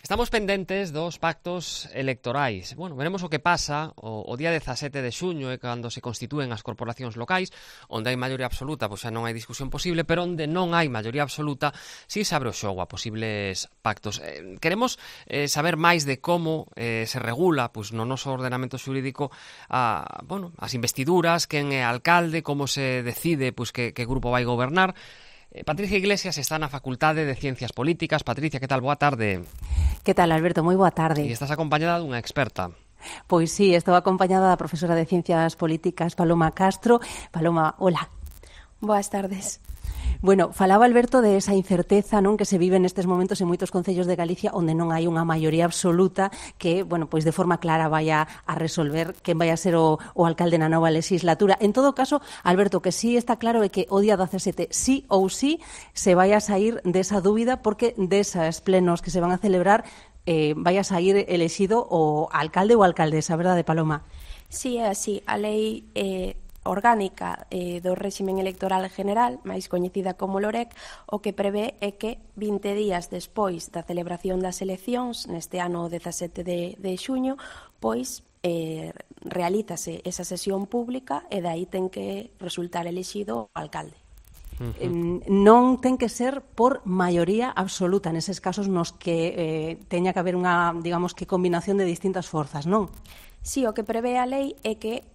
Estamos pendentes dos pactos electorais. Bueno, veremos o que pasa o día 17 de xuño é cando se constitúen as corporacións locais, onde hai maioría absoluta, pois xa non hai discusión posible, pero onde non hai maioría absoluta, si se abre o xogo a posibles pactos. Queremos saber máis de como se regula pois no noso ordenamento xurídico as investiduras, quen é alcalde, como se decide pois que grupo vai gobernar. Patricia Iglesias está na Facultade de Ciencias Políticas. Patricia, que tal? Boa tarde. Que tal, Alberto? Moi boa tarde. E estás acompañada dunha experta. Pois sí, estou acompañada da profesora de Ciencias Políticas, Paloma Castro. Paloma, hola. Boas tardes. Bueno, falaba Alberto de esa incerteza, non, que se vive nestes momentos en moitos concellos de Galicia onde non hai unha maioría absoluta que, bueno, pois de forma clara vai a resolver quen vai a ser o alcalde na nova legislatura. En todo caso, Alberto, que sí está claro é que o día 17 sí ou sí se vai a sair desa dúbida porque desas plenos que se van a celebrar vai a sair elexido o alcalde ou alcaldesa, verdade, Paloma? Sí, é así. A lei orgánica do réximen electoral general, máis coñecida como LOREC, o que prevé é que 20 días despois da celebración das eleccións, neste ano 17 de xuño, pois realízase esa sesión pública e dai ten que resultar elexido o alcalde. Non ten que ser por maioría absoluta neses casos nos que teña que haber unha, digamos, que combinación de distintas forzas, non? Sí, o que prevé a lei é que,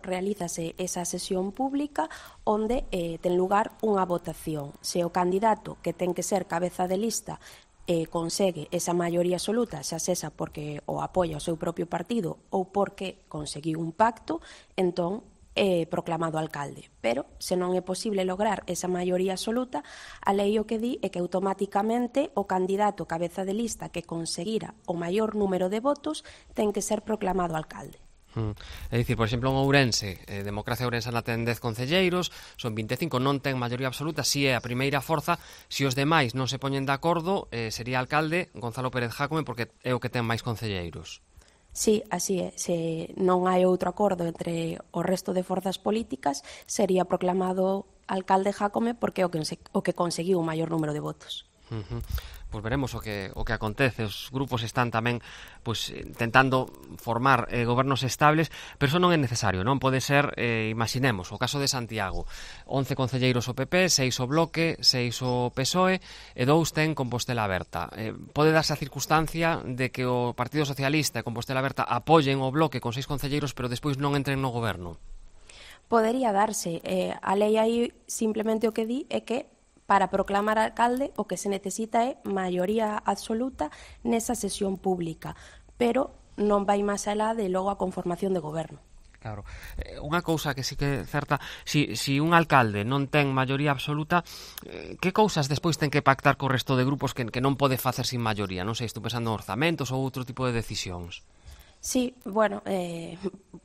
realízase esa sesión pública onde ten lugar unha votación. Se o candidato que ten que ser cabeza de lista consegue esa maioría absoluta, xa sesa porque o apoia o seu propio partido ou porque conseguiu un pacto, entón proclamado alcalde. Pero, se non é posible lograr esa maioría absoluta, a lei o que di é que automáticamente o candidato cabeza de lista que conseguira o maior número de votos ten que ser proclamado alcalde. É dicir, por exemplo, en Ourense, Democracia Ourensana ten 10 concelleiros, son 25, non ten maioría absoluta, si é a primeira forza, si os demais non se poñen de acordo, sería alcalde Gonzalo Pérez Jácome porque é o que ten máis concelleiros. Sí, así é. Se non hai outro acordo entre o resto de forzas políticas, sería proclamado alcalde Jácome porque é o que conseguiu o maior número de votos. Pois veremos o que acontece. Os grupos están tamén pois tentando formar gobernos estables, pero iso non é necesario, non? Pode ser, imaginemos, o caso de Santiago, 11 concelleiros o PP, 6 o Bloque, 6 o PSOE e 2 ten Compostela Aberta. Pode darse a circunstancia de que o Partido Socialista e Compostela Aberta apoyen o Bloque con 6 concelleiros, pero despois non entren no goberno. Podería darse. A lei aí simplemente o que di é que para proclamar alcalde o que se necesita é maioría absoluta nesa sesión pública, pero non vai máis alá de logo a conformación de goberno. Claro. Unha cousa que sí que é certa, si un alcalde non ten maioría absoluta, que cousas despois ten que pactar co resto de grupos que non pode facer sin maioría? Non sei, estou pensando en orzamentos ou outro tipo de decisións. Sí, bueno,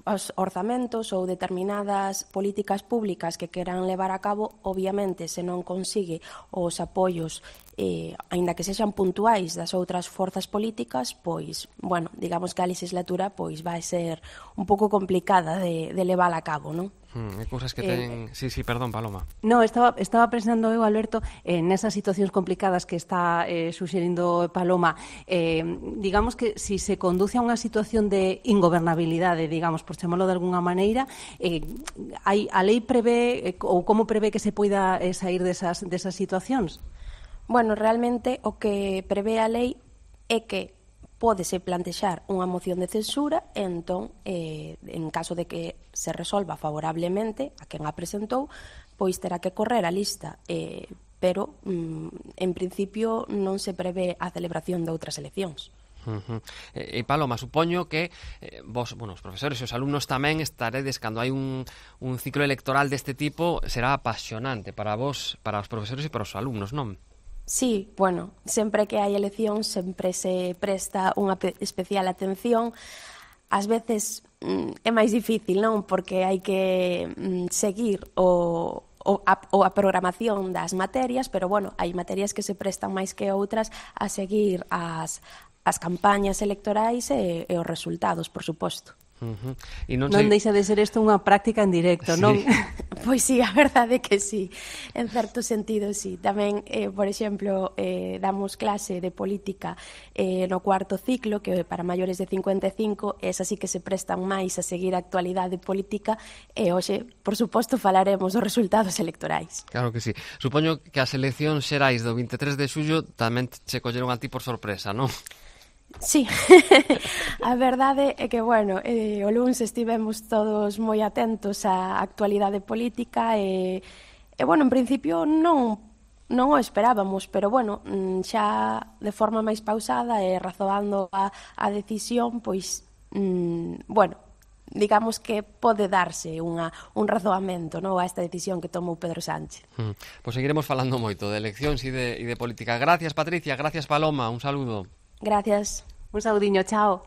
os orzamentos ou determinadas políticas públicas que queran levar a cabo, obviamente, se non consigue os apoios, aínda que sexan puntuais das outras forzas políticas, pois, bueno, digamos que a legislatura pois vai ser un pouco complicada de levar a cabo, non? Hai cousas que ten... Sí, perdón, Paloma. No, estaba pensando eu, Alberto, nesas situacións complicadas que está suxerindo Paloma. Digamos que si se conduce a unha situación de ingobernabilidade, digamos, por chamarlo de alguna maneira, a lei prevé, ou como prevé que se poida sair desas situacións? Bueno, realmente o que prevé a lei é que pódese plantexar unha moción de censura e entón, en caso de que se resolva favorablemente a quen a presentou, pois terá que correr a lista, pero en principio non se prevé a celebración de outras eleccións. E Paloma, supoño que vos, os profesores e os alumnos tamén estaredes cando hai un ciclo electoral deste tipo, será apasionante para vos, para os profesores e para os alumnos, non? Sí, bueno, sempre que hai eleccións sempre se presta unha especial atención. Ás veces é máis difícil, non? Porque hai que seguir a programación das materias, pero, bueno, hai materias que se prestan máis que outras a seguir as campañas electorais e os resultados, por suposto. Non deixa de ser isto unha práctica en directo, non? Pois sí, a verdade é que sí, en certo sentido sí. Tamén, por exemplo, damos clase de política no cuarto ciclo, que para maiores de 55, esa sí que se prestan máis a seguir a actualidade política, e hoxe, por suposto, falaremos dos resultados electorais. Claro que sí. Supoño que as eleccións xerais do 23 de xullo tamén che colleron a ti por sorpresa, non? Sí, a verdade é que, bueno, o luns estivemos todos moi atentos á actualidade política e bueno, en principio non o esperábamos, pero, bueno, xa de forma máis pausada e razoando a decisión, pois, bueno, digamos que pode darse un razoamento, non, a esta decisión que tomou Pedro Sánchez. Pois seguiremos falando moito de eleccións e de política. Gracias, Patricia, gracias, Paloma, un saludo. Gracias. Un saudiño, chao.